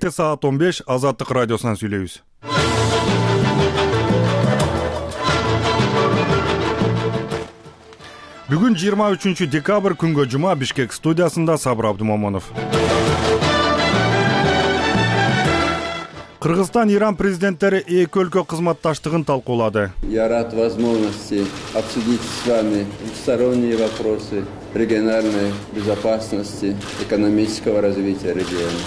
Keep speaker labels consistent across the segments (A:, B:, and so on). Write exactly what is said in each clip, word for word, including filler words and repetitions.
A: Кечте саат он беш Азаттык радиосунан сүйлөйбүз. Бүгүн жыйырма үчүнчү декабрь күнгө жума Бишкек студиясында Сабыр Абдумомонов. Кыргызстан Иран президенттери эки өлкө кызматташтыгын талкуулады.
B: Я рад возможности обсудить с вами двусторонние вопросы региональной безопасности, экономического развития региона.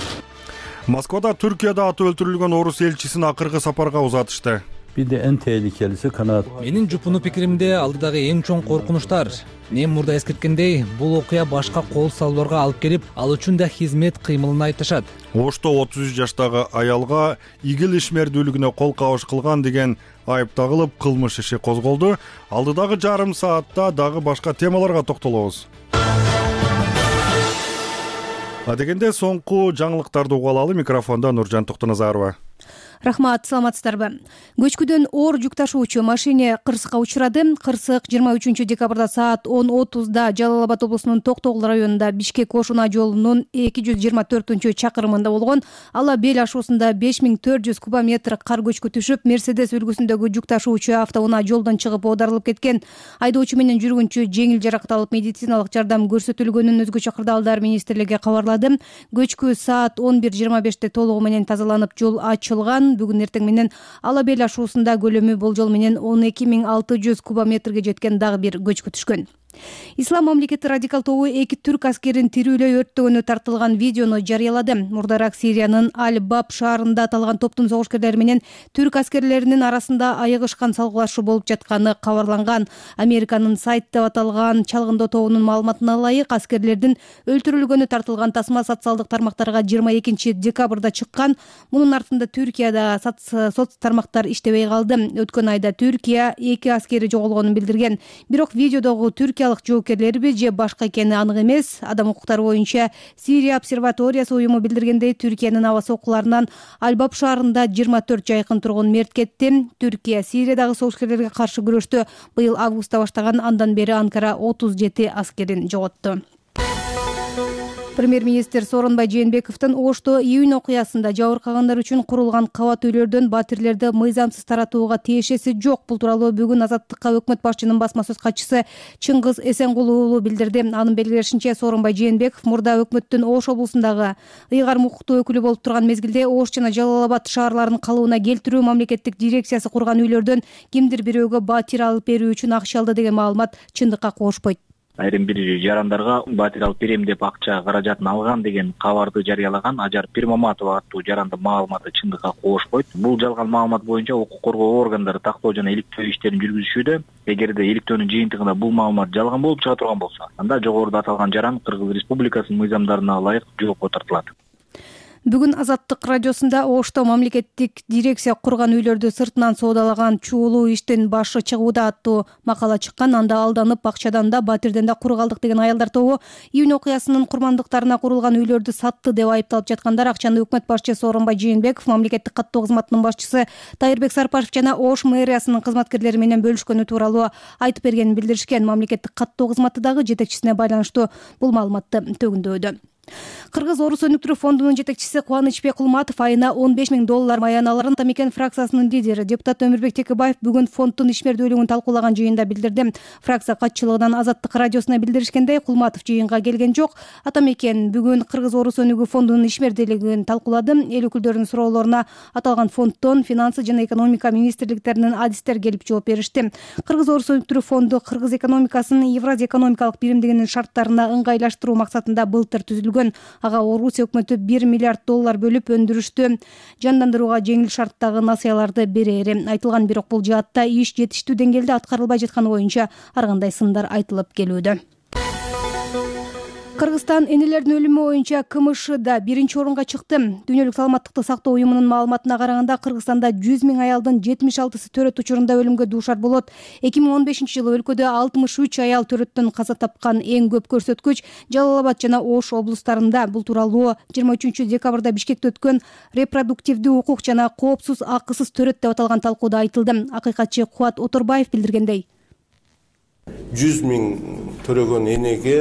A: Москвада Түркияда аты өлтүрүлгөн орус элчисин акыркы сапарга узатышты.
C: Бирде эң tehlikelisi канаат.
D: Менин жупуну пикиримде алдыдагы эң чоң коркунучтар. Мен мурда эскерткендей, бул окуя башка кол салууларга алып келип, ал үчүн да хизмет кыймылын айтышат.
A: Ошто отуз үч жаштагы аялга игил ишмердүүлүгүнө кол кабыш кылган деген айып тагылып, кылмыш иши козголду. Алдыдагы жарым саатта дагы башка темаларга токтолобуз. Адегенде соңку жаңылыктарды угуп алалы. Микрофондо Нуржан Токтоназарова.
E: Рахмат, саламатсыздарбы. Көчкүдөн оор жүк ташуучу машине кырсыкка учурады. Кырсык жыйырма үчүнчү декабрда саат он отузда Жалал Абад облусунун Токтогул районунда Бишкек-Ошуна жолунун эки жүз жыйырма төртүнчү чакырымында болгон. Ала бел ашуусунда беш миң төрт жүз кубометр кар көчкү түшүп, Мерседес үлгүсүндөгү жүк ташуучу автоунаа жолдон чыгып оодарылып кеткен. Айдоочу менен жүргүнчү жеңил жаракат алып медициналык жардам көрсөтүлгөнүн Өзгөчө кырдаалдар министрлиги кабарлады. Көчкү саат он бир жыйырма беште толугу менен тазаланып, жол ачылган. Бүгүн эртең менен Ала бел ашуусунда көлөмү болжол менен он эки миң алты жүз кубометрге жеткен дагы бир көчкү түшкөн. Ислам мамлекети радикал тобу эки түрк аскерин тирүүлөй өрттөгөнү тартылган видеону жарыялады. Мурдараак Сириянын Аль-Баб шаарында аталган топтун согушкерлери менен түрк аскерлеринин арасында айыгышкан салгылашуу болуп жатканы кабарланган. Американын сайт деп аталган чалгындоо тобунун маалыматына ылайык, аскерлердин өлтүрүлгөнү тартылган тасма социалдык тармактарга жыйырма экинчи декабрда чыккан. Мунун артында Түркияда соц тармактар иштебей калды. Өткөн айда Түркия эки аскери жоголгонун билдирген. Бирок видеодогу Түркия жоокерлерби же башка экени анык эмес. Адам укуктары боюнча Сирия обсерваториясы уюму билдиргендей, Түркиянын аба сокуларынан Аль-Баб шаарында жыйырма төрт жайкын тургун мерт кетти. Түркия Сириядагы согушкерлерге каршы күрөштү быйыл августта баштаган. Андан бери Анкара отуз жети аскерин жоготту. Премьер-министр Сооронбай Жээнбековдун Ошто июнь окуясында жабыркагандар үчүн курулган кабат үйлөрдөн батирлерди мыйзамсыз таратууга тиешеси жок. Бул тууралуу бүгүн Азаттыкка өкмөт башчынын басма сөз катчысы Чыңгыз Эсенгулуу уулу билдирди. Анын белгилешинче, Сооронбай Жээнбеков мурда өкмөттүн Ош облусундагы ыйгарым укуктуу өкүлү болуп турган мезгилде Ош жана Жалал Абад шаарларын калыбына келтирүү мамлекеттик дирекциясы курган үйлөрдөн кимдир бирөөгө батир алып берүү үчүн акча алды деген маалымат чындыкка кошпойт.
F: Айрым бир жарандарга батир алып берем деп акча каражатын алган деген кабарды жарыялаган Ажар Пирмаматова аттуу жарандын маалыматы чындыкка кошпойт. Бул жалган маалымат боюнча укук коргоо органдары тактоо жана иликтөө иштерин жүргүзүшүүдө. Эгерде иликтөөнүн жыйынтыгында бул маалымат жалган болуп чыга турган болсо, анда жогоруда аталган жаран Кыргыз Республикасынын мыйзамдарына ылайык жоопко тартылат.
E: Бүгүн Азаттык радиосунда Ошто мамлекеттик дирекция курган үйлөрдү сыртынан соодалаган чуулуу иштин башы чыгууда аттуу макала чыккан. Анда алданып акчадан да батирден да кур калдык деген аялдар тобу июнь окуясынын курмандыктарына курулган үйлөрдү сатты деп айыпталып жаткандар. Акчаны өкмөт башчысы Сооронбай Жээнбеков, мамлекеттик каттоо кызматынын башчысы Тайырбек Сарпашев жана Ош мэриясынын кызматкерлери менен бөлүшкөнү тууралуу айтып бергенин билдиришкен. Мамлекеттик каттоо кызматы дагы жетекчисине байланыштуу бул маалыматты төгүндөдү. Кыргыз Орус өнүктүрүү фондунун жетекчиси Кубанычбек Кулматов айына он беш миң доллар маяналарын Атамекен фракциясынын лидери депутат Өмүрбек Текебаев бүгүн фонддун ишмердүүлүгүн талкуулаган жыйында билдирди. Фракция катчылыгынан Азаттык радиосуна билдиришкендей, Кулматов жыйынга келген жок. Атамекен бүгүн Кыргыз Орус өнүгүү фондунун ишмердүүлүгүн талкуулады. Эл өкүлдөрүнүн суроолоруна аталган фонддон финансы жана экономика министрликтеринин адистер келип жооп беришти. Кыргыз Орус өнүктүрүү фонду Кыргыз экономикасын Евразия экономикалык биримдигинин шарттарына ыңгайлаштыруу максатында былтыр түзүлгөн. Ага Орусия өкмөтү бир миллиард доллар бөлүп өндүрүштү жандандырууга жеңил шарттагы насыяларды берери айтылган. Бирок бул жаатта иш жетиштүү деңгээлде аткарылбай жатканы боюнча ар кандай сындар айтылып келүүдө. Кыргызстан энелердин өлүмү боюнча КМШда биринчи орунга чыкты. Дүйнөлүк саламаттыкты сактоо уюмунун маалыматына караганда, Кыргызстанда жүз миң аялдын жетимиш алтысы төрөт учурунда өлүмгө дуушар болот. эки миң он бешинчи жылы өлкөдө алтымыш үч аял төрөттөн каза тапкан. Эң көп көрсөткүч Жалал Абад жана Ош облустарында. Бул тууралуу жыйырма үчүнчү декабрда Бишкекте өткөн репродуктивдүү укук жана коопсуз акысыз төрөт деп аталган талкууда айтылды. Акыйкатчы Кубат Оторбаев билдиргендей.
G: жүз миң төрөгөн энеге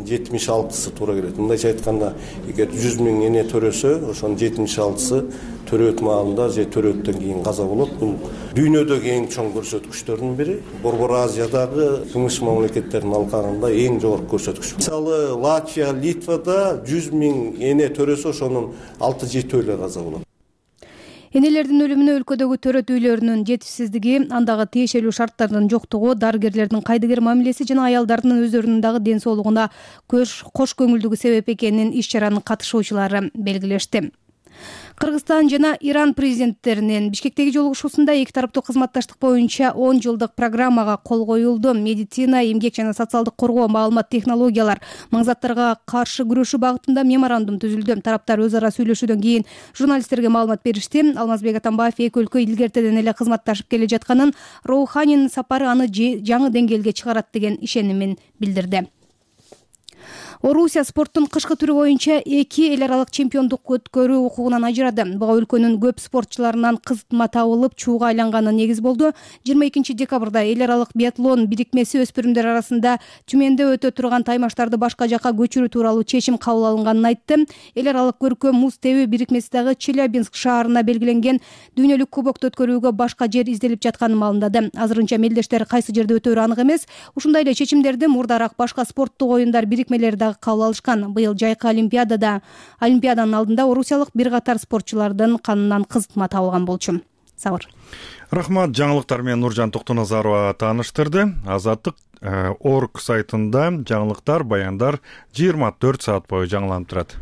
G: жетимиш алтысы туура келет. Мындайча айтканда, эгер жүз миң эне төрөсө, ошонун жетимиш алтысы төрөт маалында же төрөттөн кийин каза болот. Бул дүйнөдөгү эң чоң көрсөткүчтөрдүн бири. Борбор Азиядагы тыныч мамлекеттердин алкагында эң жогорку көрсөткүч. Мисалы, Латвия, Литвада жүз миң эне төрөсө, ошонун алты жетөө эле каза болот.
E: Энелердин өлүмүнө өлкөдөгү төрөт үйлөрүнүн жетишсиздиги, андагы тиешелүү шарттардын жоктугу, дарыгерлердин кайдыгер мамилеси жана аялдардын өздөрүнүн дагы ден соолугуна кош көңүлдүгү себеп экенин иш-чаранын катышуучулары белгилешти. Кыргызстан жана Иран президенттеринин Бишкектеги жолугушуусунда эки тараптуу кызматташтык боюнча он жылдык программага кол коюлду. Медицина, эмгек жана социалдык коргоо, маалымат технологиялар, маңзаттарга каршы күрөшүү багытында меморандум түзүлдү. Тараптар өз ара сүйлөшүүдөн кийин журналисттерге маалымат беришти. Алмазбек Атамбаев эки өлкө илгертеден эле кызматташып келе жатканын, Роуханинин сапары аны жаңы деңгээлге чыгарат деген ишенимин билдирди. Орусия спорттун кышкы түрү боюнча эки эл аралык чемпиондук өткөрүү укугунан ажырады. Буга өлкөнүн көп спортчуларынан кызытма табылып, чууга айланганы негиз болду. жыйырма экинчи декабрда эл аралык биатлон бирикмеси өспүрүмдөр арасында Түмөндө өтө турган таймаштарды башка жакка көчүрүү тууралуу чечим кабыл алынганын айтты. Эл аралык көркөм муз тебүү бирикмеси дагы Челябинск шаарына белгиленген дүйнөлүк кубокто өткөрүүгө башка жер изделип жатканын маалымдады. Азырынча мелдештер кайсы жерде өтөөрү анык эмес. Ушундай эле чечимдерди мурдараак башка спорттук оюндар бирикмелери дагы кабыл алышкан. Быйыл жайкы олимпиадада олимпиаданын алдында орусиялык бир катар спортчулардын канынан кызытма табылган болчу. Сабыр.
A: Рахмат, жаңылыктар менен Нуржан Токтоназарова тааныштырды. Азаттык орг сайтында жаңылыктар, баяндар жыйырма төрт саат бою жаңыланып турат.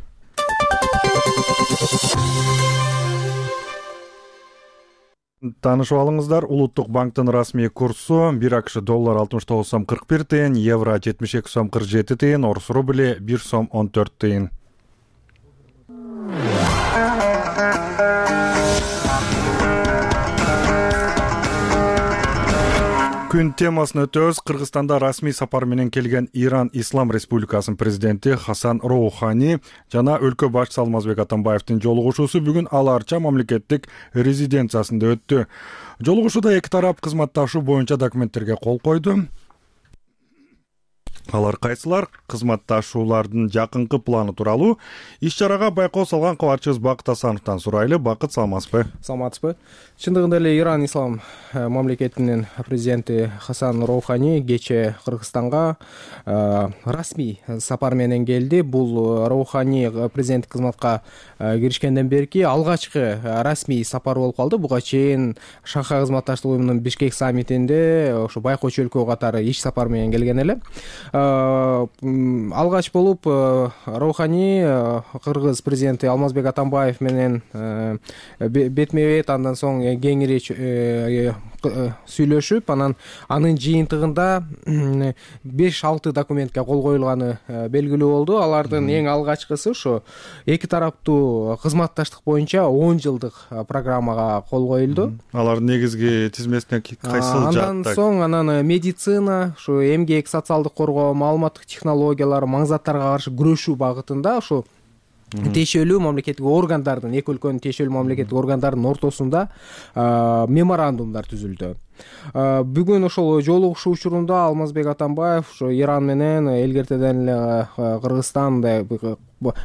A: Таанышып алыңыздар, Улуттук банктын расмий курсу бир акш доллар алтымыш тогуз сом кырк бир тыйын, евро жетимиш эки сом кырк жети тыйын, орус рубли бир сом он төрт тыйын. Күн темасын өтөбүз. Кыргызстанда расмий сапар менен келген Иран Ислам Республикасынын президенти Хасан Роухани жана өлкө башчысы Алмазбек Атамбаевдин жолугушуусу бүгүн Ал Арча мамлекеттик резиденциясында өттү. Жолугушууда эки тарап кызматташуу боюнча документтерге кол койду. Алар кайсылар? Кызматташуулардын жакынкы планы тууралуу иш-чарага байкоо салган кабарчыбыз Бакыт Асановдон сурайлы. Бакыт, саламатсызбы?
H: Саламатсызбы. Чындыгында эле Иран Ислам мамлекетинин президенти Хасан Роухани кечээ Кыргызстанга расмий сапар менен келди. Бул Роухани президенттик кызматка киришкенден берки алгачкы расмий сапар болуп калды. Буга чейин Шанхай кызматташтык уюмунун Бишкек саммитинде ошо байкоочу өлкө катары иш сапар менен келген эле. Алгач болуп Роухани Кыргыз президенти Алмазбек Атамбаев менен бетме-бет, андан соң кеңири сүйлөшүп, анан анын жыйынтыгында беш алты документке кол коюлганы белгилүү болду. Алардын эң алгачкысы ушу эки тараптуу кызматташтык боюнча он жылдык программага кол коюлду.
A: Алардын негизги тизмесине кайсыл жааттар?
H: Андан соң анан медицина, ушу эмгек, социалдык коргоо, маалыматтык технологиялар, маңзаттарга каршы күрөшүү багытында ушу тиешелүү мамлекеттик органдардын, эки өлкөнүн тиешелүү мамлекеттик органдарынын ортосунда меморандумдар түзүлдү. Бүгүн ошол жолугушуу учурунда Алмазбек Атамбаев ошо Иран менен элгертеден эле Кыргызстанда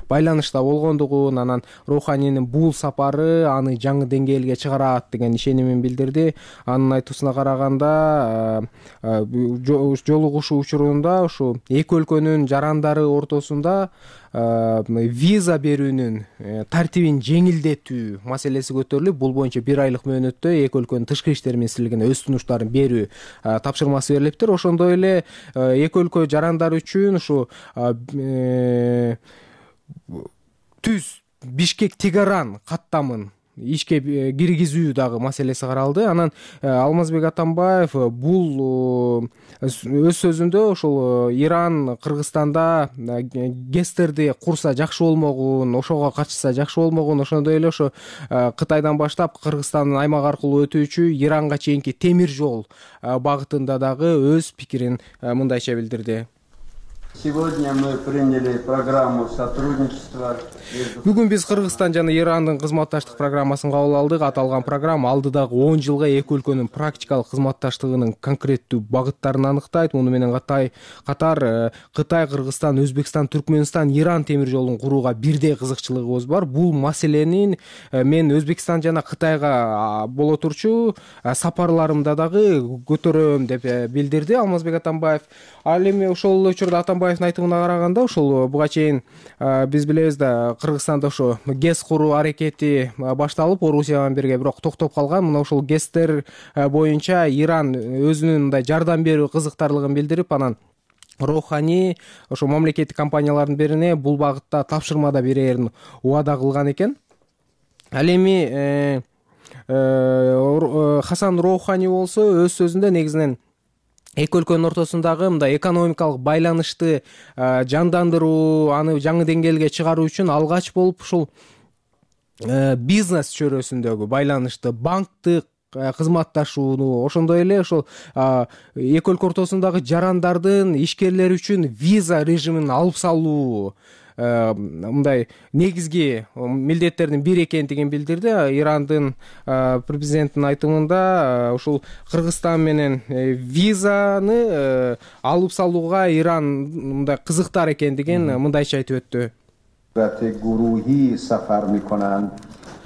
H: байланышта болгондугун, анан Роуханинин бул сапары аны жаңы деңгээлге чыгарат деген ишенимин билдирди. Анын айтуусуна караганда жолугушуу учурунда ушу эки өлкөнүн жарандары ортосунда виза берүүнүн тартибин жеңилдетүү маселеси көтөрүлүп, бул боюнча бир айлык мөөнөттө эки өлкөнүн тышкы иштер министрлигине өз сунуштарын берүү тапшырмасы берилиптир. Ошондой эле эки өлкө жарандары үчүн ушу түз Бишкек-Тегеран каттамын ишке киргизүү дагы маселеси каралды. Анан Алмазбек Атамбаев бул өз сөзүндө ошол Иран Кыргызстанда гестерди курса жакшы болмогун, ошого катышса жакшы болмогун, ошондой эле ошо Кытайдан баштап Кыргызстандын аймак аркылуу өтүүчү Иранга чейинки темир жол багытында дагы өз пикирин мындайча билдирди.
B: Сегодня мы приняли программу сотрудничества.
H: Бүгүн биз Кыргызстан жана Ирандын кызматташтык программасын кабыл алдык. Аталган программа алдыдагы он жылга эки өлкөнүн практикалык кызматташтыгынын конкреттүү багыттарын аныктайт. Муну менен катай катар Кытай, Кыргызстан, Өзбекстан, Түркмөнстан, Иран темир жолун курууга бирдей кызыкчылыгыбыз бар. Бул маселенин мен Өзбекстан жана Кытайга боло турчу сапарларымда дагы көтөрөм деп билдирди Алмазбек Атамбаев. Ал эми ошол учурда Атамбаевдин айтымына караганда, ошол буга чейин биз билебиз да Кыргызстанда ошо ГЭС куруу аракети башталып, Орусия менен бирге бирок токтоп калган. Мына ошол ГЭСтер боюнча Иран өзүнүн мындай жардам берүү кызыктарлыгын билдирип, анан Роухани ошо мамлекеттик компаниялардын бирине бул багытта тапшырма да берерин убада кылган экен. Ал эми Хасан Роухани болсо өз сөзүндө негизинен эки өлкөнүн ортосундагы мындай экономикалык байланышты жандандыруу, аны жаңы деңгээлге чыгаруу үчүн алгач болуп ушул бизнес чөйрөсүндөгү байланышты, банктык кызматташууну, ошондой эле ошол эки өлкө ортосундагы жарандардын ишкерлер үчүн виза режимин алып салуу мындай негизги милдеттердин бири экендигин билдирди. Ирандын президентинин айтымында ушул Кыргызстан менен визаны алып салууга Иран мындай кызыктар экендигин мындайча айтып өттү.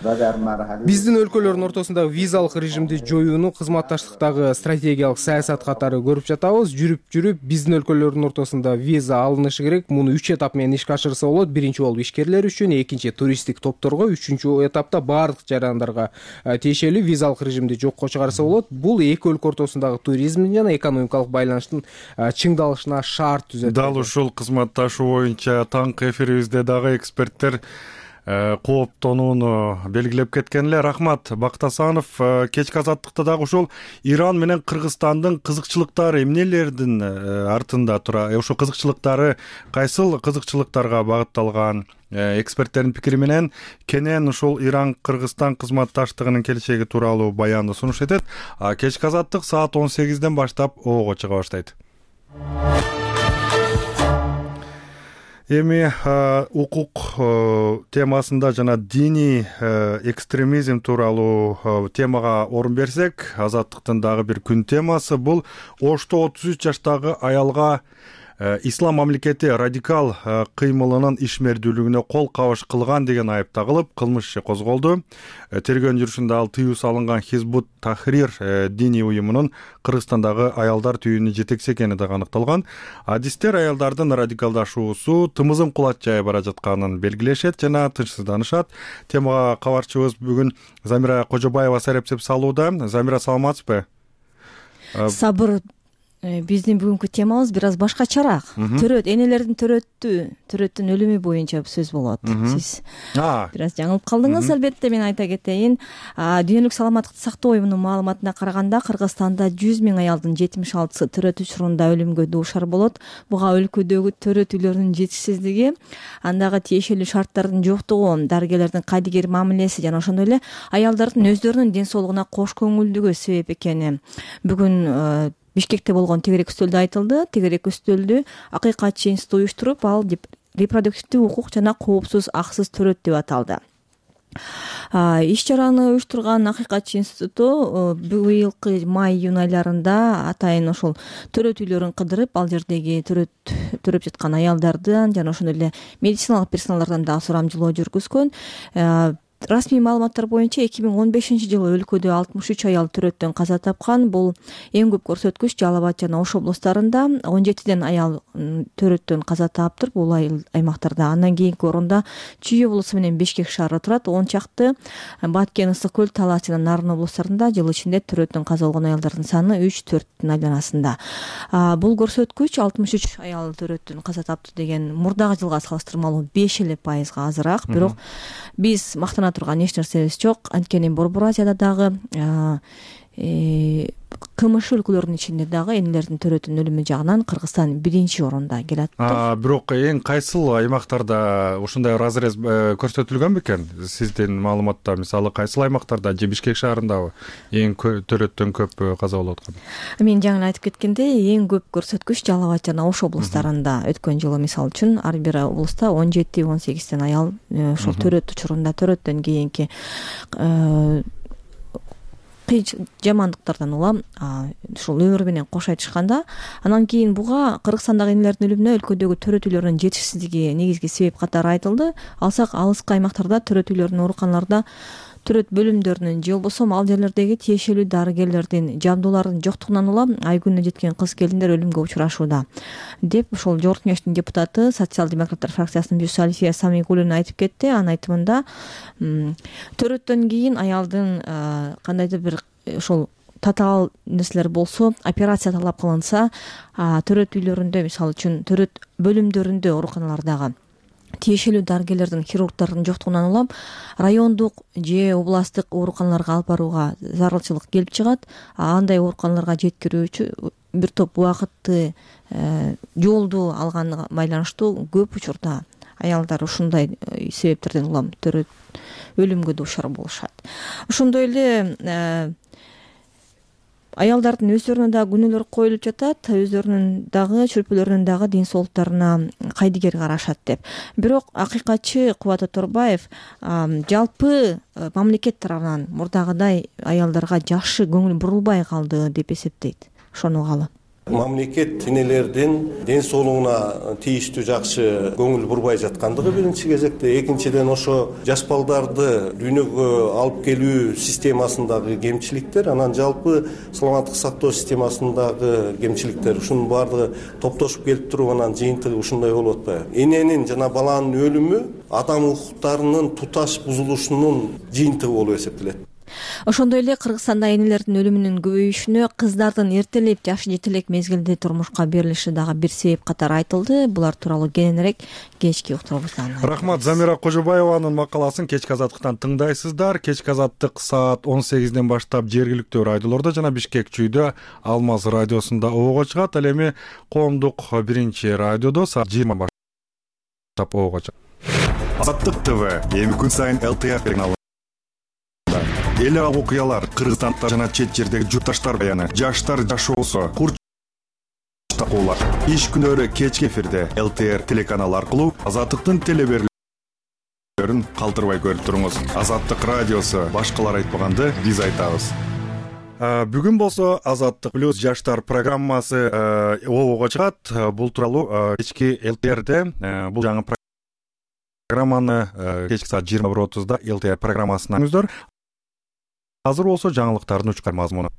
H: Биздин өлкөлөрдүн ортосундагы визалык режимди жоюуну кызматташтыктагы стратегиялык саясат катары көрүп жатабыз. Жүрүп жүрүп биздин өлкөлөрдүн ортосунда виза алынышы керек. Муну үч этап менен ишке ашырса болот. Биринчи болуп ишкерлер үчүн, экинчи туристтик топторго, үчүнчү этапта баардык жарандарга тиешелүү визалык режимди жокко чыгарса болот. Бул эки өлкө ортосундагы туризмдин жана экономикалык байланыштын чыңдалышына шарт түзөт.
A: Дал ушул кызматташуу боюнча таңкы эфирибизде дагы эксперттер кооптонууну белгилеп кеткен эле. Рахмат Бактасанов. Кечки азаттыкта дагы ушул Иран менен Кыргызстандын кызыкчылыктары эмнелердин артында тура, ошо кызыкчылыктары кайсыл кызыкчылыктарга багытталган? Эксперттердин пикири менен кенен ушул Иран-Кыргызстан кызматташтыгынын келечеги тууралуу баянды сунуш этет. Кечки азаттык саат он сегизден баштап ого чыга баштайт. Эми укук темасында жана диний экстремизм тууралуу темага орун берсек, азаттыктын дагы бир күн темасы бул Ошто отуз үч жаштагы аялга ислам мамлекети радикал кыймылынын ишмердүүлүгүнө кол кабыш кылган деген айып тагылып, кылмыш иши козголду. Тергөө жүрүшүндө ал тыюу салынган Хизбут Тахрир диний уюмунун Кыргызстандагы аялдар түйүнүн жетекчиси экени да аныкталган. Адистер аялдардын радикалдашуусу тымызын кулат жай бара жатканын белгилешет жана тынчсызданышат. Темага кабарчыбыз бүгүн Замира Кожобаева сарепсеп салууда. Замира, саламатсызбы?
I: Сабыр. Биздин бүгүнкү темабыз бир аз башкачараак. Төрөт, энелердин төрөттү, төрөттүн өлүмү боюнча сөз болот. Сиз бир аз жаңылып калдыңыз. Албетте мен айта кетейин, Дүйнөлүк саламаттыкты сактоо уюмунун маалыматына караганда Кыргызстанда жүз миң аялдын жетимиш алтысы төрөт учурунда өлүмгө дуушар болот. Буга өлкөдөгү төрөт үйлөрүнүн жетишсиздиги, андагы тиешелүү шарттардын жоктугу, дарыгерлердин кайдыгер мамилеси жана ошондой эле аялдардын өздөрүнүн ден соолугуна кош көңүлдүгү себеп экени бүгүн Бишкекте болгон тегерек үстөлдө айтылды. Тегерек үстөлдү Акыйкатчы институту уюштуруп, ал репродуктивдүү укук жана коопсуз аксыз төрөт деп аталды. Иш чараны уюштурган Акыйкатчы институту быйылкы май-июнь айларында атайын ошол төрөт үйлөрүн кыдырып, ал жердеги төрөт төрөп жаткан аялдардан жана ошондой эле медициналык персоналдардан дагы сурамжылоо жүргүзгөн. Расмий маалыматтар боюнча эки миң он бешинчи жылы өлкөдө алтымыш үч аял төрөттөн каза тапкан. Бул эң көп көрсөткүч Жалал Абад жана Ош облустарында. он жетиден аял төрөттөн каза таптыр бул аймактарда. Андан кийинки орунда Чүй облусу менен Бишкек шаары турат. он чакты Баткен, Ысык көл, Талас жана Нарын облустарында жыл ичинде төрөттөн каза болгон аялдардын саны үч төрттүн айланасында. Бул көрсөткүч алтымыш үч аял төрөттөн каза тапты деген мурдагы жылга салыштырмалуу беш эле пайызга азыраак. Бирок биз мактана турган эч нерсебиз жок. Анткени Борбор Азияда дагы кмш өлкөлөрүнүн ичинде дагы энелердин төрөтүнүн өлүмү жагынан Кыргызстан биринчи орунда келе атты.
A: Бирок эң кайсыл аймактарда ушундай разрез көрсөтүлгөн бекен? Сиздин маалыматта мисалы кайсыл аймактарда же Бишкек шаарындабы эң төрөттөн көп каза болуп аткан?
I: Мен жаңы айтып кеткендей, эң көп көрсөткүч Жалал Абад жана Ош облустарында. Өткөн жылы мисалы үчүн ар бир облуста он жети он сегизден аял ушул төрөт учурунда төрөттөн кийинки жамандыктардан улам ушул өмүр менен кош айтышканда, анан кийин буга Кыргызстандагы энелердин өлүмүнө өлкөдөгү төрөт үйлөрүнүн жетишсиздиги негизги себеп катары айтылды. Алсак алыскы аймактарда төрөт үйлөрүнүн, ооруканаларда төрөт бөлүмдөрүнүн же болбосо ал жерлердеги тиешелүү дарыгерлердин жабдууларынын жоктугунан улам ай күнүнө жеткен кыз келиндер өлүмгө учурашууда деп ушул Жогорку Кеңештин депутаты, социал-демократтар фракциясынын мүчөсү Альфия Самигуллина айтып кетти. Анын айтымында төрөттөн кийин аялдын кандайдыр бир ушул татаал нерселер болсо, операция талап кылынса, төрөт үйлөрүндө мисалы үчүн төрөт бөлүмдөрүндө, ооруканалардагы тиешелүү дарыгерлердин, хирургдардын жоктугунан улам райондук же областтык ооруканаларга алып барууга зарылчылык келип чыгат. Андай ооруканаларга жеткирүү үчүн бир топ убакытты жолду алганга байланыштуу көп учурда аялдар ушундай себептерден улам төрөт өлүмгө дуушар болушат. Ошондой эле аялдардын өздөрүнө дагы күнөөлөр коюлуп жатат, өздөрүнүн дагы чүрпөлөрүнүн дагы ден соолуктарына кайдыгер карашат деп. Бирок акыйкатчы Кубат Оторбаев жалпы мамлекет тарабынан мурдагыдай аялдарга жакшы көңүл бурулбай калды деп эсептейт. Ошону угалы.
G: Мамлекет энелердин ден соолугуна тийиштүү жакшы көңүл бурбай жаткандыгы биринчи кезекте, экинчиден ошо жаш балдарды дүйнөгө алып келүү системасындагы кемчиликтер, анан жалпы саламаттык сактоо системасындагы кемчиликтер, ушунун баардыгы топтошуп келип туруп анан жыйынтыгы ушундай болуп атпайбы? Эненин жана баланын өлүмү адам укуктарынын туташ бузулушунун жыйынтыгы болуп эсептелет.
I: Ошондой эле Кыргызстанда энелердин өлүмүнүн көбөйүшүнө кыздардын эртелеп жашы жетелек мезгилде турмушка берилиши дагы бир себеп катары айтылды. Булар тууралуу кененирээк кечки уктуруубузда.
A: Рахмат. Замира Кожобаеванын макаласын кечки азаттыктан тыңдайсыздар. Кечки азаттык саат он сегизден баштап жергиликтүү радиолордо жана Бишкек чүйдө Алмаз радиосунда обого чыгат. Ал эми коомдук биринчи радиодо саат жыйырма баштап обого чыгат. Азаттык ТВ эми күн сайын эл ти ар каналы. Эл аралык окуялар, Кыргызстанда жана чет жердеги журтташтар баяны, жаштар жашоосу, курч такуулар. Иш күнөрү кечки эфирде эл ти ар телеканалы аркылуу Азаттыктын телеберлерин калтырбай көрүп туруңуз. Азаттык радиосу башкалар айтпаганды биз айтабыз. Бүгүн болсо Азаттык плюс жаштар программасы обого чыгат. Бул тууралуу кечки эл ти арде бул жаңы программаны кечки саат жыйырма бир отузда эл ти ар программасына күңүздөр. Азыр болсо жаңылыктардын учкар мазмуну.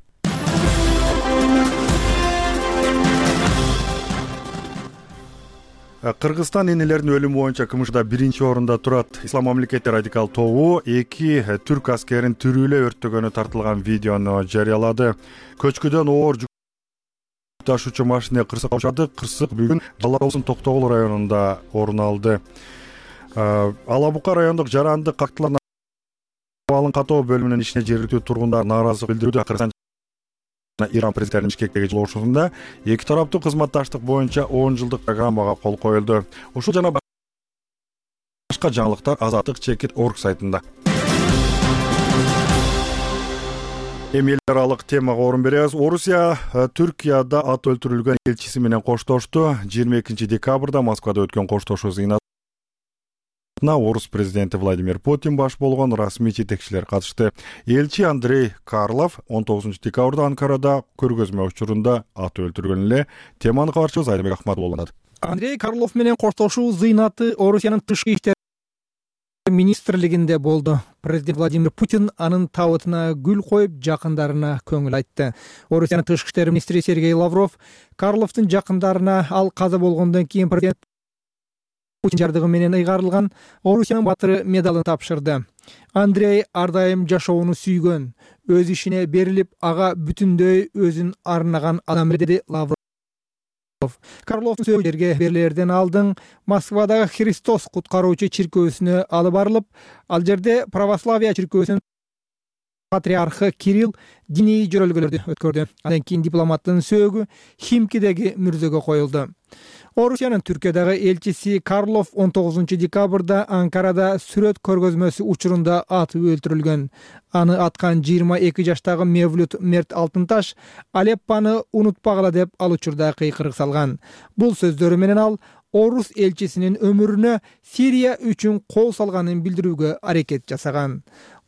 A: Кыргызстан энелердин өлүмү боюнча КМШда биринчи орунда турат. Ислам мамлекети радикал тобу эки түрк аскерин тирүүлөп өрттөгөнү тартылган видеону жарыялады. Көчкүдөн оор жүк ташуучу машина кырсыкка учады. Кырсык бүгүн Жалал Абад Токтогул районунда орун алды. Ала Бука райондук жарандык кактылар Алын катоо бөлүмүнүн ишине жергиликтүү тургундар нааразылык билдирүүдө. Кыргызстан жана Иран президенттеринин Бишкектеги жолугушуусунда эки тараптуу кызматташтык боюнча он жылдык программага кол коюлду. Ушул жана башка жаңылыктар Азаттык чекит точка орг сайтында. Эми эл аралык темага орун беребиз. Орусия Түркияда ат өлтүрүлгөн элчиси менен коштошту. жыйырма экинчи декабрда Москвада өткөн коштошуу зыйнат орус президенти Владимир Путин баш болгон расмий жетекчилер катышты. Элчи Андрей Карлов он тогузунчу декабрда Анкарада көргөзмө учурунда ат өлтүргөн эле. Теманы кабарчыбыз Айдабек Ахматов болот.
H: Андрей Карлов менен коштошуу зыйнаты Орусиянын тышкы иштер министрлигинде болду. Президент Владимир Путин анын табытына гүл коюп, жакындарына көңүл айтты. Орусиянын тышкы иштер министри Сергей Лавров Карловдун жакындарына ал каза болгондон кийин президент Путин жардыгы менен ыйгарылган Орусиянын батыры медалын тапшырды. Андрей ар дайым жашоону сүйгөн, өз ишине берилип, ага бүтүндөй өзүн арнаган адам, деди Лавров. Карловдун сөздөрү берилерден алдын Москвадагы Христос куткаруучу чиркөөсүнө алып барылып, ал жерде православия чиркөөсүнүн
J: патриархы Кирилл диний жөрөлгөлөрдү өткөрдү. Андан кийин дипломаттын сөөгү Химкидеги мүрзөгө коюлду. Орусиянын Түркиядагы элчиси Карлов он тогузунчу декабрда Анкарада сүрөт көргөзмөсү учурунда атып өлтүрүлгөн. Аны аткан жыйырма эки жаштагы Мевлют Мерт Алтынташ Алеппаны унутпагыла деп ал учурда кыйкырык салган. Бул сөздөрү менен ал орус элчисинин өмүрүнө Сирия үчүн кол салганын билдирүүгө аракет жасаган.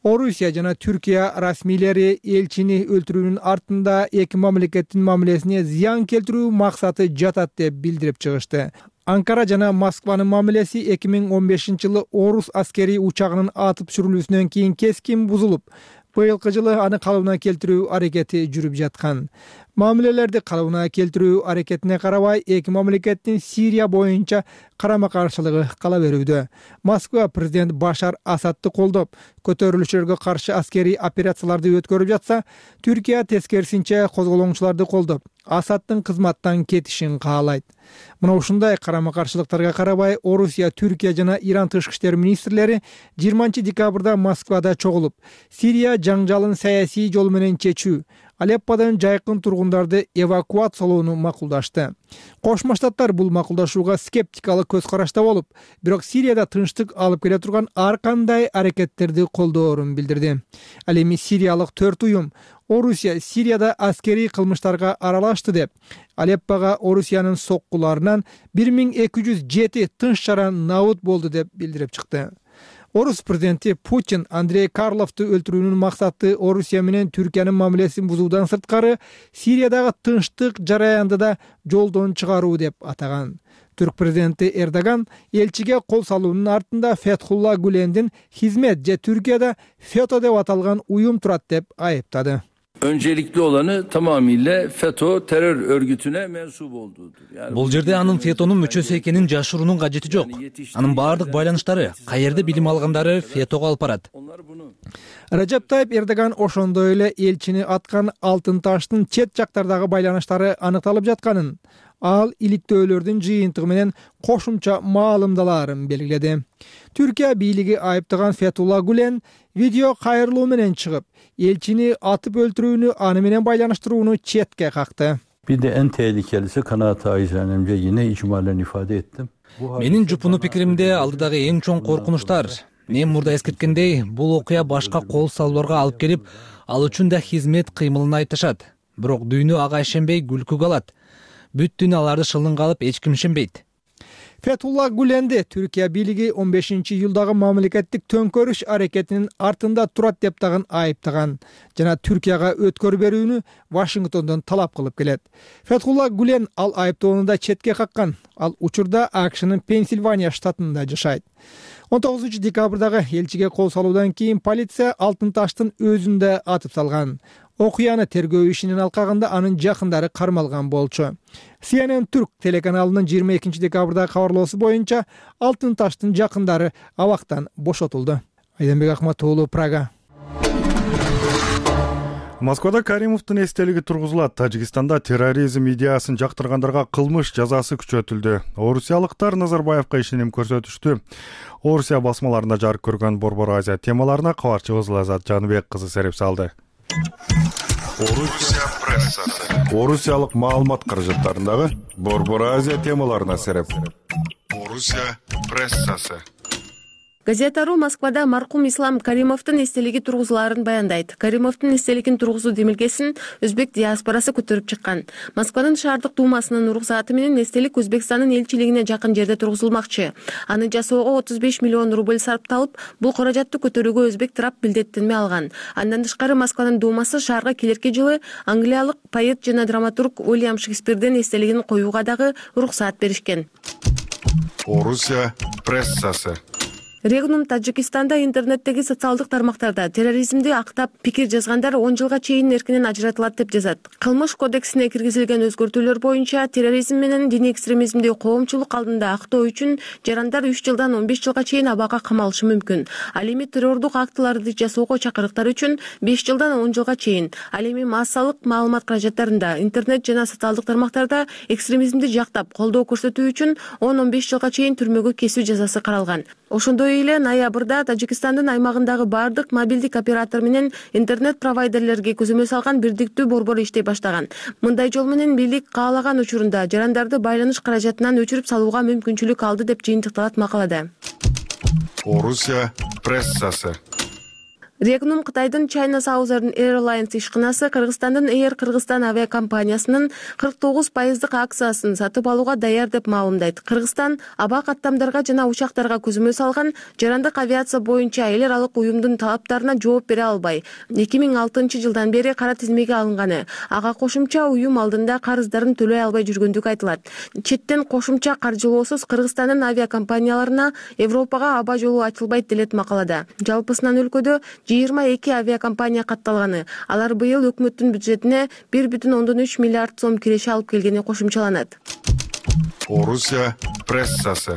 J: Орусия жана Түркия расмийлери элчини өлтүрүүнүн артында эки мамлекеттин мамилесине зыян келтирүү максаты жатат деп билдирип чыгышты. Анкара жана Москванын мамилеси эки миң он бешинчи жылы орус аскерий учагынын атып түшүрүлүүсүнөн кийин кескин бузулуп, быйылкы жылы аны калыбына келтирүү аракети жүрүп жаткан. Мамилелерди калыбына келтирүү аракетине карабай, эки мамлекеттин Сирия боюнча карама-каршылыгы кала берүүдө. Москва президент Башар Асадты колдоп, көтөрүлүшчүлөргө каршы аскерий операцияларды өткөрүп жатса, Түркия тескерисинче козголоңчуларды колдоп, Асадтын кызматтан кетишин каалайт. Мына ушундай карама-каршылыктарга карабай, Орусия, Түркия жана Иран тышкы иштер министрлери жыйырманчы декабрда Москвада чогулуп, Сирия жаңжалын саясий жол менен чечүү, Алепподон жайкын тургундарды эвакуациялоону макулдашты. Кошмо Штаттар бул макулдашууга скептикалык көз карашта болуп, бирок Сирияда тынчтык алып келе турган ар кандай аракеттерди колдоорун билдирди. Ал эми сириялык төрт уюм Орусия Сирияда аскерий кылмыштарга аралашты деп, Алеппага Орусиянын соккуларынан бир миң эки жүз жети тынч чара набыт болду деп билдирип чыкты. Орус президенти Путин Андрей Карловду өлтүрүүнүн максаты Орусия менен Түркиянын мамилесин бузуудан сырткары Сириядагы тынчтык жараянды да жолдон чыгаруу деп атаган. Түрк президенти Эрдоган элчиге кол салуунун артында Фетхулла Гулендин хизмет же Түркияда ФЕТÖ деп аталган уюм турат деп айыптады.
C: Öncelikli olanı tamamıyla FETÖ terör örgütüne mensup olduğudur. Yani
D: Бул жерде анын ФЕТÖнүн мүчөсү экенин жашыруунун кажети жок. Анын баардык байланыштары, каерде билим алгандары ФЕТÖгө алып барат.
J: Режеп Тайип Эрдоган ошондой эле элчини аткан Алтынташтын чет жактардагы байланыштары аныкталып жатканын, ал иликтөөлөрдүн жыйынтыгы менен кошумча маалымдалаарын белгиледи. Түркия бийлиги айыптаган Фетхулла Гулен видео кайрылуу менен чыгып, элчини атып өлтүрүүнү аны менен байланыштырууну четке какты.
C: Bir de en tehlikelisi kanaat acizenemce yine icmalen ifade ettim.
D: Менин жупуну пикиримде алдыдагы эң чоң коркунучтар. Мен мурда эскерткендей, бул окуя башка кол салууларга алып келип, ал үчүн да хизмет кыймылын айтышат. Бирок дүйнө ага ишенбей күлкүгө алат. Бүт дүйнө аларды шылынга алып эч ким ишенбейт.
J: Фетхулла Гуленди Түркия бийлиги он бешинчи июлдагы мамлекеттик төңкөрүш аракетинин артында турат деп дагы айыптаган жана Түркияга өткөр берүүнү Вашингтондон талап кылып келет. Фетхулла Гулен ал айыптоону да четке каккан. Ал учурда АКШнын Пенсильвания штатында жашайт. он тогузунчу декабрдагы элчиге кол салуудан кийин полиция Алтынташтын өзүн да атып салган. Окуяны тергөө ишинин алкагында анын жакындары кармалган болчу. Си Эн Эн Түрк телеканалынын жыйырма экинчи декабрдагы кабарлоосу боюнча Алтынташтын жакындары абактан бошотулду. Айданбек Акматуулу, Прага.
A: Москвада Каримовдун эстелиги тургузулат. Тажикстанда терроризм идеясын жактыргандарга кылмыш жазасы күчөтүлдү. Орусиялыктар Назарбаевка ишеним көрсөтүштү. Орусия басмаларында жарык көргөн Борбор Азия темаларына кабарчыбыз Лазат Жаныбек кызы сереп салды. Орусия прессасы. Орусиялык маалымат каражаттарындагы Борбор Азия темаларына сереп. Орусия прессасы.
K: Газета.ру Москвада маркум Ислам Каримовдун эстелиги тургузулаарын баяндайт. Каримовдун эстелигин тургузуу демилгесин өзбек диаспорасы көтөрүп чыккан. Москванын шаардык дуумасынын уруксааты менен эстелик Өзбекстандын элчилигине жакын жерде тургузулмакчы. Аны жасоого отуз беш миллион рубль сарпталып, бул каражатты көтөрүүгө өзбек тарап билдеттенме алган. Андан тышкары Москванын дуумасы шаарга келерки жылы англиялык поэт жана драматург Уильям Шекспирдин эстелигин коюуга дагы уруксаат беришкен.
A: Орусия прессасы.
K: Регнум Тажикстанда интернеттеги социалдык тармактарда терроризмди актап пикир жазгандар он жылга чейин эркинен ажыратылат деп жазат. Кылмыш кодексине киргизилген өзгөртүүлөр боюнча терроризм менен диний экстремизмди коомчулук алдында актоо үчүн жарандар үч жылдан он беш жылга чейин абакка камалышы мүмкүн. Ал эми террордук актыларды жасоого чакырыктар үчүн беш жылдан он жылга чейин. Ал эми массалык маалымат каражаттарында, интернет жана социалдык тармактарда экстремизмди жактап колдоо көрсөтүү үчүн он он беш жылга чейин түрмөгө кесүү жазасы каралган. Ошондой ошондой эле ноябрда Тажикстандын аймагындагы бардык мобилдик оператор менен интернет провайдерлерге көзөмөл салган бирдиктүү борбор иштей баштаган. Мындай жол менен бийлик каалаган учурунда жарандарды байланыш каражатынан өчүрүп салууга мүмкүнчүлүк алды деп жыйынтыкталат макалада.
A: Орусия прессасы.
K: Регнум Кытайдын China Southern Airlines ишканасы Кыргызстандын Air Кыргызстан авиакомпаниясынын кырк тогуз пайыздык акциясын сатып алууга даяр деп маалымдайт. Кыргызстан аба каттамдарга жана учактарга көзөмөл салган жарандык авиация боюнча эл аралык уюмдун талаптарына жооп бере албай, эки миң алтынчы жылдан бери кара тизмеге алынганы. Ага кошумча уюм алдында карыздарын төлөй албай жүргөндүгү айтылат. Четтен кошумча каржылоосуз Кыргызстандын авиакомпанияларына Европага аба жолу ачылбайт делет макалада. Жалпысынан өлкөдө жыйырма эки авиакомпания катталганы. Алар быйыл өкмөттүн бюджетине бир бүтүн ондон үч миллиард сом киреше алып келгени кошумчаланат.
A: Орусия прессасы.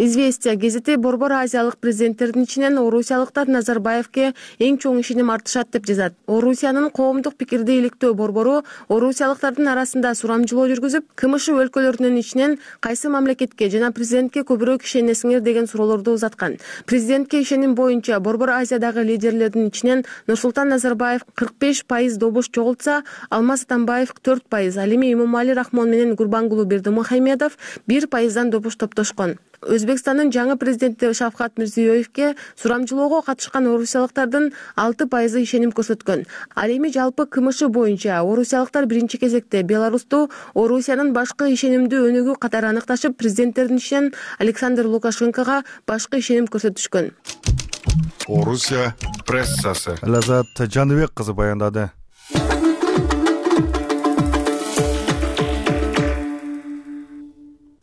K: Известия гезити Борбор Азиялык президенттердин ичинен орусиялыктар Назарбаевке эң чоң ишеним артышат деп жазат. Орусиянын коомдук пикирди иликтөө борбору орусиялыктардын арасында сурамжылоо жүргүзүп, КМШ өлкөлөрүнүн ичинен кайсы мамлекетке жана президентке көбүрөөк ишенесиңер деген суроолорду узаткан. Президентке ишеним боюнча Борбор Азиядагы лидерлердин ичинен Нурсултан Назарбаев кырк беш пайыз добуш чогултса, Алмаз Атамбаев төрт пайыз, ал эми Имомали Рахмон менен Гурбангулу Бердимухамедов бир пайыздан добуш топтошкон. Өзбекстандын жаңы президенти Шавкат Мирзиёевке сурамжылоого катышкан орусиялыктардын алты пайызы ишеним көрсөткөн. Ал эми жалпы КМШ боюнча орусиялыктар биринчи кезекте Беларусту Орусиянын башкы ишенимдүү өнүгүү катары аныкташып, президенттердин ичинен Александр Лукашенкого башкы ишеним көрсөтүшкөн.
A: Орусия прессасы. Лазат Жаныбек кызы баяндады.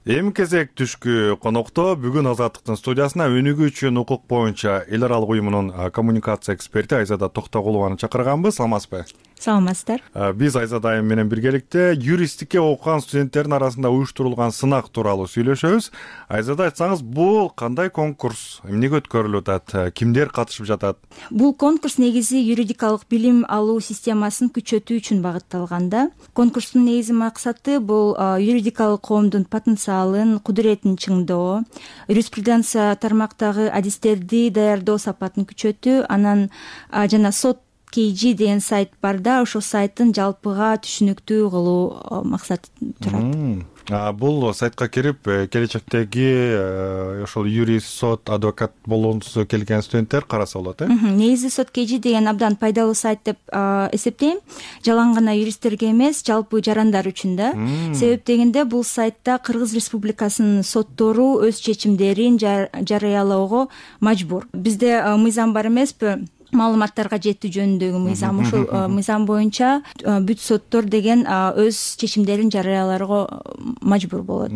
A: Эми кезек түшкү конокто бүгүн Азаттыктын студиясына өнүгүүчү укук боюнча эл аралык уюмунун коммуникация эксперти Айзада Токтогулованы чакырганбыз. Саламатсызбы?
I: Саламатсыздар.
A: Биз Айзада айым менен биргеликте юристикке окуган студенттердин арасында уюштурулган сынак тууралуу сүйлөшөбүз. Айзада, айтсаңыз, бул кандай конкурс, эмнеге өткөрүлүп атат, кимдер катышып жатат?
I: Бул конкурс негизи юридикалык билим алуу системасын күчөтүү үчүн багытталган да. Конкурстун негизи максаты бул юридикалык коомдун потенциалын, кудуретин чыңдоо, юриспруденция тармактагы адистерди даярдоо сапатын күчөтүү, анан жана сот кей джи деген сайт бар да, ошол сайттын жалпыга түшүнүктүү кылуу максаты турат.
A: Бул сайтка кирип, келечектеги ошол юрист, сот, адвокат болгонсу келген студенттер караса болот, э?
I: Негизи сот кей джи деген абдан пайдалуу сайт деп эсептейм. Жалаң гана юристтерге эмес, жалпы жарандар үчүн да. Себеп дегенде бул сайтта Кыргыз Республикасынын соттору өз чечимдерин жарыялоого мажбур. Бизде мыйзам бар эмеспи? Маалыматтарга жетүү жөнүндөгү мыйзам. Ошол мыйзам боюнча бүт соттор деген өз чечимдерин жарыяларга мажбур болот.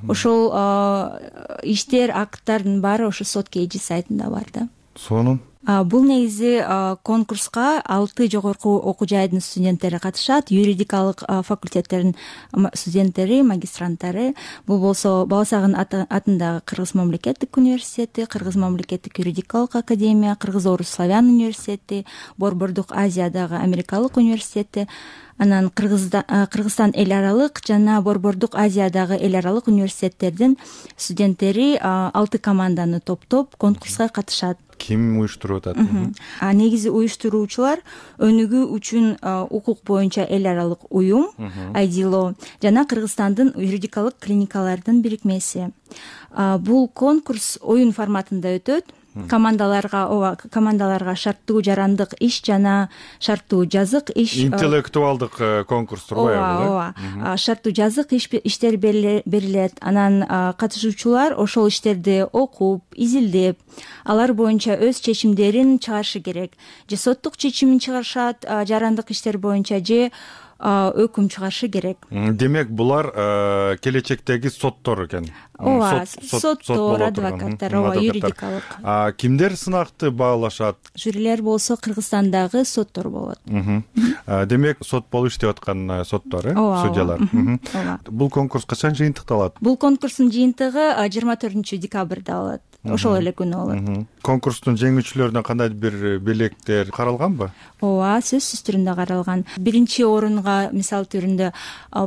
I: Ошол иштер, акттардын баары ошо сот кей джи сайтында бар да.
A: Сонун.
I: Бул негизи конкурска алты жогорку окуу жайдын студенттери катышат, юридикалык факультеттердин студенттери, магистранттары. Бул болсо Баласагын атындагы Кыргыз мамлекеттик университети, Кыргыз мамлекеттик юридикалык академия, Кыргыз Орус Славян университети, Борбордук Азиядагы Америкалык университети, анан Кыргызстан эл аралык жана Борбордук Азиядагы эл аралык университеттердин студенттери алты команданы топтоп конкурска катышат.
A: Ким уюштуруп атат?
I: Негизи уюштуруучулар өнүгүү үчүн укук боюнча эл аралык уюм, Айдило жана Кыргызстандын юридикалык клиникалардын бирикмеси. Бул конкурс оюн форматында өтөт. Командаларга, ооба, командаларга шарттуу жарандык иш жана шарттуу жазык иш.
A: Интеллектуалдык конкурс турбайбы?
I: Ооба, ооба. Шарттуу жазык иштер берилет. Анан катышуучулар ошол иштерди окуп, изилдеп, алар боюнча өз чечимдерин чыгарышы керек. Же соттук чечимин чыгарышат, жарандык иштер боюнча, же өкүм чыгарышы керек.
A: Демек, булар келечектеги соттор экен.
I: Ооба, соттор, адвокаттар, ооба, юридикалык.
A: Кимдер сынакты баалашат?
I: Жюрилер болсо Кыргызстандагы соттор болот.
A: Демек, сот болуп иштеп аткан соттор, э, судьялар. Бул конкурс качан жыйынтыкталат?
I: Бул конкурстун жыйынтыгы жыйырма төртүнчү декабрда болот. ошол эле күнү болот.
A: Конкурстун жеңүүчүлөрүнө кандайдыр бир белектер каралганбы?
I: ооба, сөзсүз түрүндө каралган. Биринчи орунга мисал түрүндө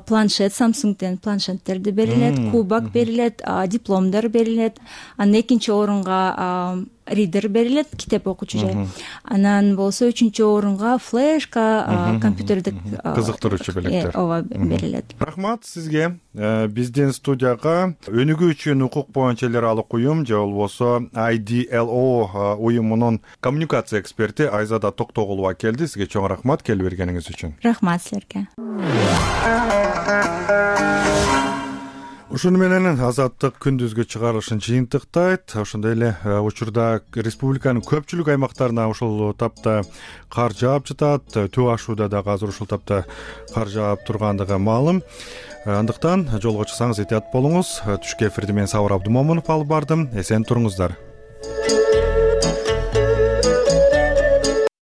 I: планшет, Samsungден планшеттерди берилет, кубок берилет, дипломдор берилет. Анан экинчи орунга ридер берилет, китеп окуучу жай. Анан болсо үчүнчү орунга флешка, компьютердик
A: кызыктыруучу белектер.
I: ооба, берилет.
A: Рахмат сизге. Биздин студияга өнүгүүчү укук боюнча эл аралык уюм же болбосо ай ди эл о уюмунун коммуникация эксперти Айзада Токтогулова келди. Сизге чоң рахмат келип бергениңиз үчүн.
I: Рахмат силерге.
A: Ушуну менен Азаттык күндүзгү чыгарылышын жыйынтыктайт. Ошондой эле учурда республиканын көпчүлүк аймактарына ушул тапта кар жаап жатат. Төө ашууда дагы азыр ушул тапта кар жаап тургандыгы маалым. Андыктан жолго чыксаңыз этият болуңуз. Түшкү эфирди мен Сабыр Абдумомунов алып бардым. Эсен туруңуздар.